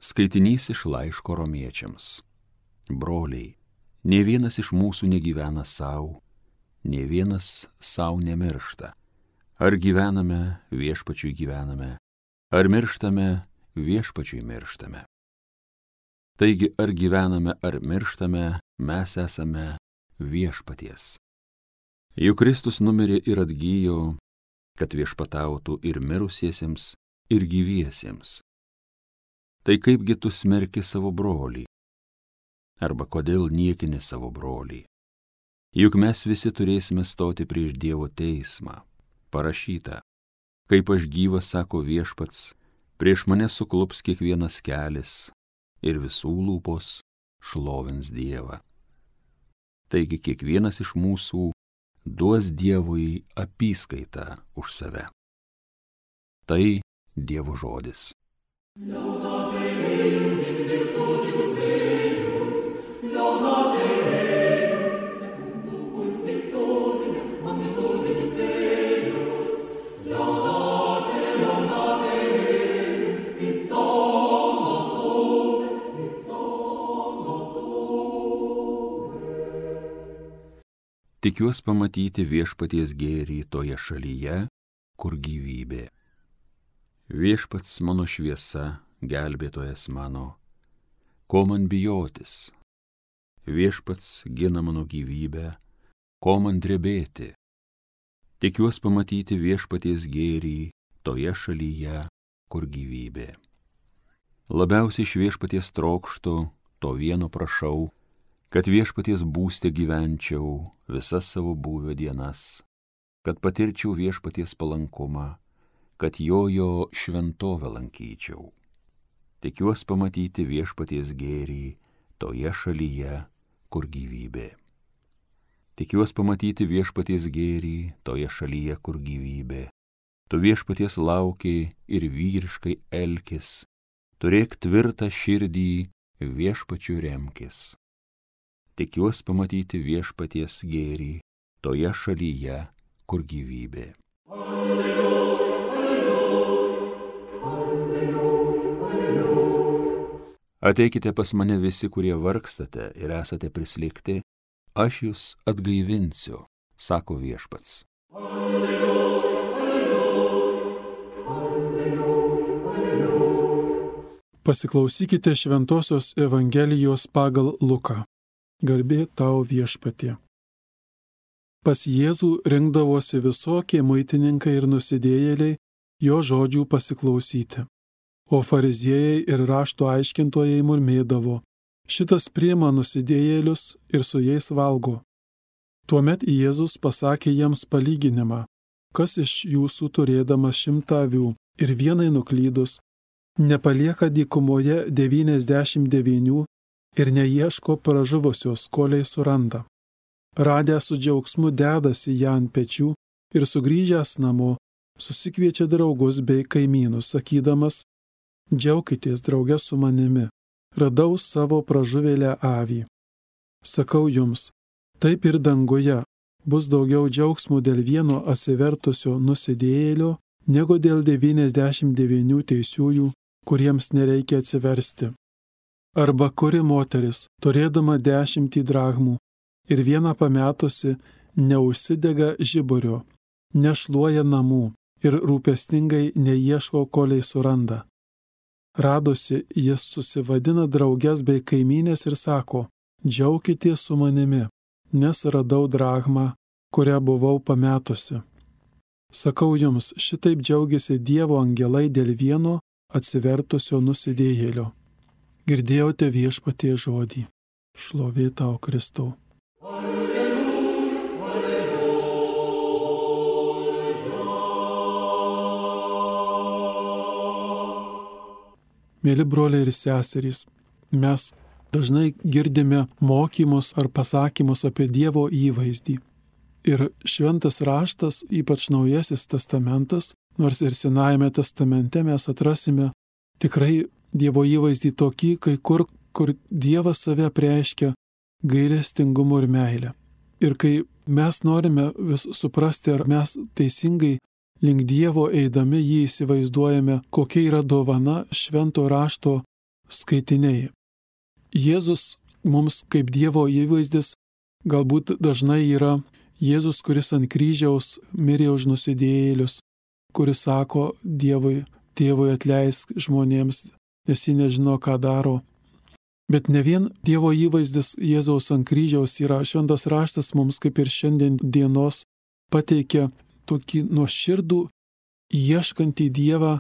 Skaitinys iš laiško romiečiams. Broliai, nė vienas iš mūsų negyvena savo, nė vienas savo nemiršta. Ar gyvename, viešpačiui gyvename, ar mirštame, viešpačiui mirštame. Taigi, ar gyvename, ar mirštame, mes esame viešpaties. Juk Kristus numirė ir atgyjo, kad viešpatautų ir mirusiesiems, ir gyviesiems. Tai kaipgi tu smerki savo brolį? Arba kodėl niekini savo brolį? Juk mes visi turėsime stoti prieš Dievo teismą. Parašyta, kaip aš gyvas, sako viešpats, prieš mane suklups kiekvienas kelias ir visų lūpos šlovins Dievą. Taigi kiekvienas iš mūsų duos Dievui apyskaitą už save. Tai Dievo žodis. Tikiuos pamatyti viešpaties gėrį toje šalyje, kur gyvybė. Viešpats mano šviesa, gelbėtojas mano, ko man bijotis? Viešpats gina mano gyvybę, ko man drebėti? Tikiuos pamatyti viešpaties gėrį toje šalyje, kur gyvybė. Labiausiai iš viešpaties trokštu, to vieno prašau, kad viešpaties būste gyvenčiau visas savo būvio dienas, kad patirčiau viešpaties palankumą, kad jo šventovę lankyčiau. Tikiuos pamatyti viešpaties gėrį toje šalyje, kur gyvybė. Tikiuos pamatyti viešpaties gėrį toje šalyje, kur gyvybė. Tu viešpaties laukiai ir vyriškai elkis, turėk tvirtą širdį, viešpačiu remkis. Tikiuos pamatyti viešpaties gėrį toje šalyje, kur gyvybė. Alleluja, alleluja, alleluja. Ateikite pas mane visi, kurie vargstate ir esate prislėgti, aš jūs atgaivinsiu, sako viešpats. Alleluja, alleluja, alleluja, alleluja. Pasiklausykite Šventosios Evangelijos pagal Luką. Garbė tau viešpatie. Pas Jėzų rinkdavosi visokie muitininkai ir nusidėjėliai jo žodžių pasiklausyti. O fariziejai ir rašto aiškintojai murmėdavo, šitas priima nusidėjėlius ir su jais valgo. Tuomet Jėzus pasakė jiems palyginimą, kas iš jūsų turėdamas 100 avių ir vienai nuklydus, nepalieka dykumoje 99 ir neieško pražuvusios, kol suranda. Radęs su džiaugsmu dedasi ją ant pečių ir sugrįžęs namo, susikviečia draugus bei kaimynus, sakydamas, džiaukitės drauge su manimi, radau savo pražuvėlę avį. Sakau jums, taip ir danguje bus daugiau džiaugsmų dėl vieno atsivertusio nusidėjėlio, negu dėl 99 teisiųjų, kuriems nereikia atsiversti. Arba kuri moteris, turėdama 10 drachmų ir vieną pametusi, neužsidega žiburio, nešluoja namų ir rūpestingai neieško, kol suranda. Radusi, jis susivadina drauges bei kaimynės ir sako, džiaukitės su manimi, nes radau drachmą, kurią buvau pametusi. Sakau jums, šitaip džiaugiasi Dievo angelai dėl vieno atsivertusio nusidėjėlio. Girdėjote viešpaties žodį. Šlovė tau, Kristau. Alleluja, alleluja. Mėly broliai ir seserys, mes dažnai girdime mokymus ar pasakymus apie Dievo įvaizdį. Ir šventas raštas, ypač Naujasis testamentas, nors ir Senajame testamente mes atrasime tikrai Dievo įvaizdį tokį, kai kur Dievas save apreiškia gailestingumu ir meilę. Ir kai mes norime vis suprasti, ar mes teisingai link Dievo eidami jį įsivaizduojame, kokia yra dovana švento rašto skaitiniai. Jėzus mums kaip Dievo įvaizdis galbūt dažnai yra Jėzus, kuris ant kryžiaus mirė už nusidėjėlius, kuris sako Dievui, Tėvui atleisk žmonėms, nes jie nežino, ką daro. Bet ne vien Dievo įvaizdis Jėzaus ant kryžiaus yra, šventas raštas mums kaip ir šiandien dienos pateikia tokį nuoširdų, ieškantį Dievą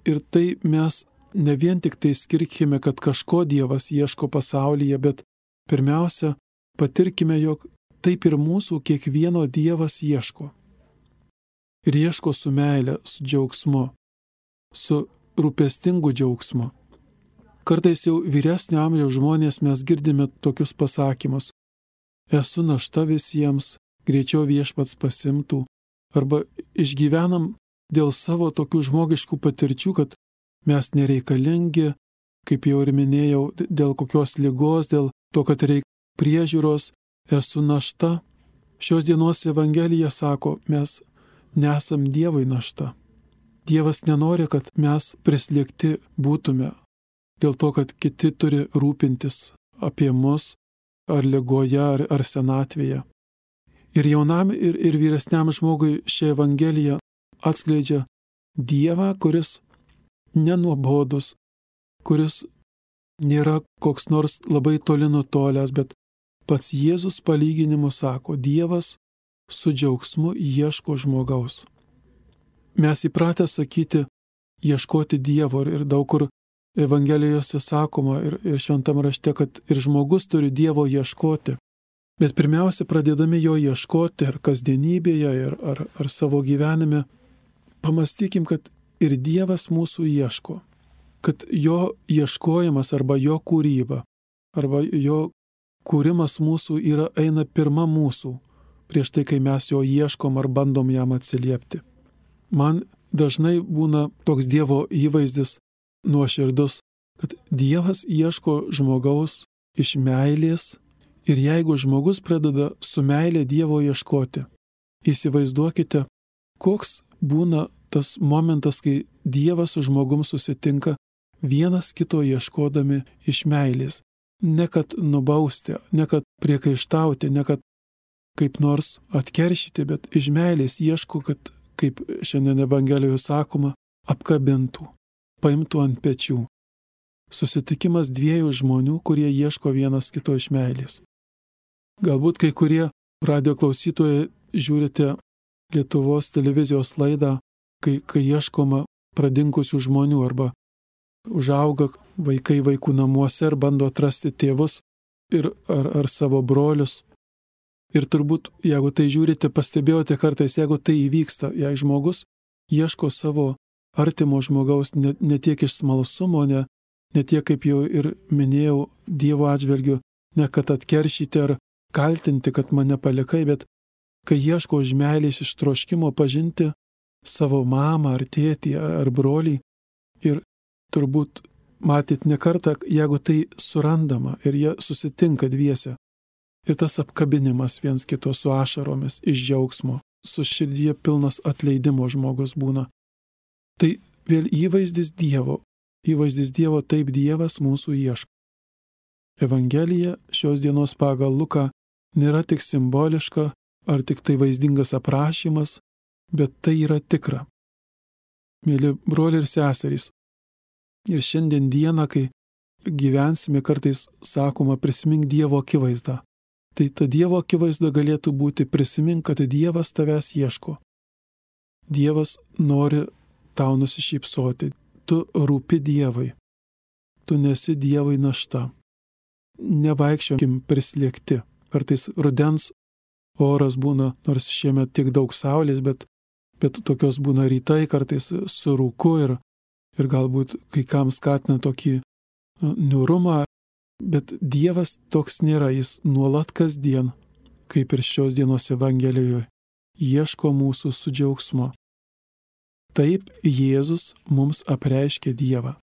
ir tai mes ne vien tik tai skirkime, kad kažko Dievas ieško pasaulyje, bet pirmiausia, patirkime, jog taip ir mūsų kiekvieno Dievas ieško. Ir ieško su meile, su džiaugsmu, su rūpestingu džiaugsmu. Kartais jau vyresnio amžiaus žmonės mes girdime tokius pasakymus. Esu našta visiems, greičiau viešpats pasimtų. Arba išgyvenam dėl savo tokių žmogiškų patirčių, kad mes nereikalingi, kaip jau ir minėjau, dėl kokios ligos, dėl to, kad reikia priežiūros, esu našta. Šios dienos Evangelija sako, mes nesam Dievui našta. Dievas nenori, kad mes prislėgti būtume, dėl to, kad kiti turi rūpintis apie mus, ar ligoje, ar senatvėje. Ir jaunam, ir vyresniam žmogui ši Evangelija atskleidžia Dievą, kuris nenuobodus, kuris nėra koks nors labai toli nutolęs, bet pats Jėzus palyginimu sako, Dievas su džiaugsmu ieško žmogaus. Mes įpratę sakyti, ieškoti Dievo ir daug kur Evangelijose sakoma ir šventam rašte, kad ir žmogus turi Dievo ieškoti. Bet pirmiausia, pradėdami jo ieškoti ar kasdienybėje, ar savo gyvenime, pamastykim, kad ir Dievas mūsų ieško, kad jo ieškojimas arba jo kūryba, arba jo kūrimas mūsų eina pirma mūsų, prieš tai, kai mes jo ieškom ar bandom jam atsiliepti. Man dažnai būna toks Dievo įvaizdis nuoširdus, kad Dievas ieško žmogaus iš meilės ir jeigu žmogus pradeda su meilė Dievo ieškoti, įsivaizduokite, koks būna tas momentas, kai Dievas su žmogum susitinka vienas kito ieškodami iš meilės. Ne kad nubausti, ne kad priekaištauti, ne kad kaip nors atkeršyti, bet iš meilės ieško, kad, kaip šiandien Evangelijoje sakoma, apkabintų, paimtų ant pečių. Susitikimas dviejų žmonių, kurie ieško vienas kito iš meilės. Galbūt kai kurie radijo klausytojai žiūrite Lietuvos televizijos laidą, kai ieškoma pradingusių žmonių arba užauga vaikai vaikų namuose ir bando atrasti tėvus ar savo brolius. Ir turbūt, jeigu tai žiūrite, pastebėjote kartais, jeigu tai įvyksta, jei žmogus ieško savo artimo žmogaus ne tiek iš smalsumo, ne tiek, kaip jau ir minėjau, Dievo atžvelgiu, ne kad atkeršyti ar kaltinti, kad mane palikai, bet kai ieško iš meilės, iš troškimo pažinti savo mamą ar tėtį ar brolį. Ir turbūt matyt ne kartą, jeigu tai surandama ir jie susitinka dviese. Ir tas apkabinimas viens kito su ašaromis iš džiaugsmo, su širdyje pilnas atleidimo žmogus būna. Tai vėl įvaizdis Dievo. Įvaizdis Dievo, taip Dievas mūsų ieško. Evangelija šios dienos pagal Luką nėra tik simboliška ar tik tai vaizdingas aprašymas, bet tai yra tikra. Mėly broliai ir seserys, ir šiandien dieną, kai gyvensime, kartais sakoma prisimink Dievo akivaizdą. Tai ta Dievo akivaizda galėtų būti prisimink, kad Dievas tavęs ieško. Dievas nori tau nusišypsoti. Tu rūpi Dievui. Tu nesi Dievui našta. Nevaikščiokim prislėgti. Kartais rudens oras būna, nors šiemet tiek daug saulės, bet tokios būna rytai, kartais su rūku ir galbūt kai kam skatina tokį niūrumą. Bet Dievas toks nėra, jis nuolat kasdien, kaip ir šios dienos Evangelijoje, ieško mūsų su džiaugsmu. Taip Jėzus mums apreiškė Dievą.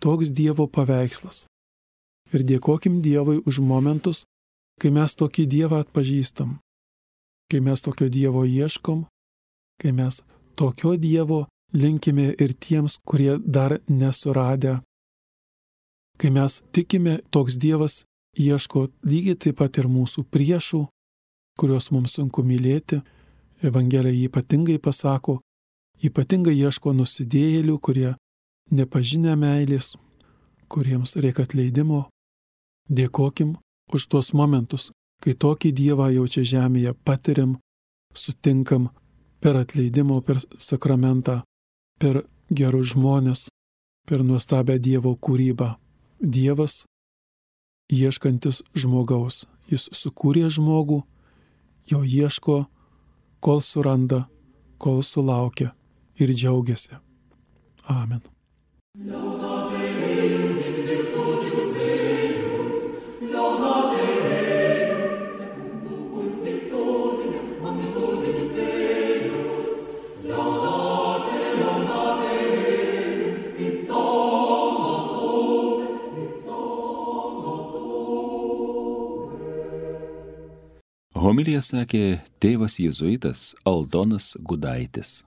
Toks Dievo paveikslas. Ir dėkokim Dievui už momentus, kai mes tokį Dievą atpažįstam, kai mes tokio Dievo ieškom, kai mes tokio Dievo linkime ir tiems, kurie dar nesuradę. Kai mes tikime, toks Dievas ieško lygiai taip pat ir mūsų priešų, kuriuos mums sunku mylėti. Evangelija ypatingai pasako, ypatingai ieško nusidėjėlių, kurie nepažinę meilės, kuriems reikia atleidimo. Dėkokim už tuos momentus, kai tokį Dievą jau čia žemėje patiriam, sutinkam per atleidimo, per sakramentą, per gerus žmonės, per nuostabią Dievo kūrybą. Dievas ieškantis žmogaus. Jis sukūrė žmogų, jo ieško, kol suranda, kol sulaukia ir džiaugiasi. Amen. Homiliją sakė tėvas jėzuitas Aldonas Gudaitis.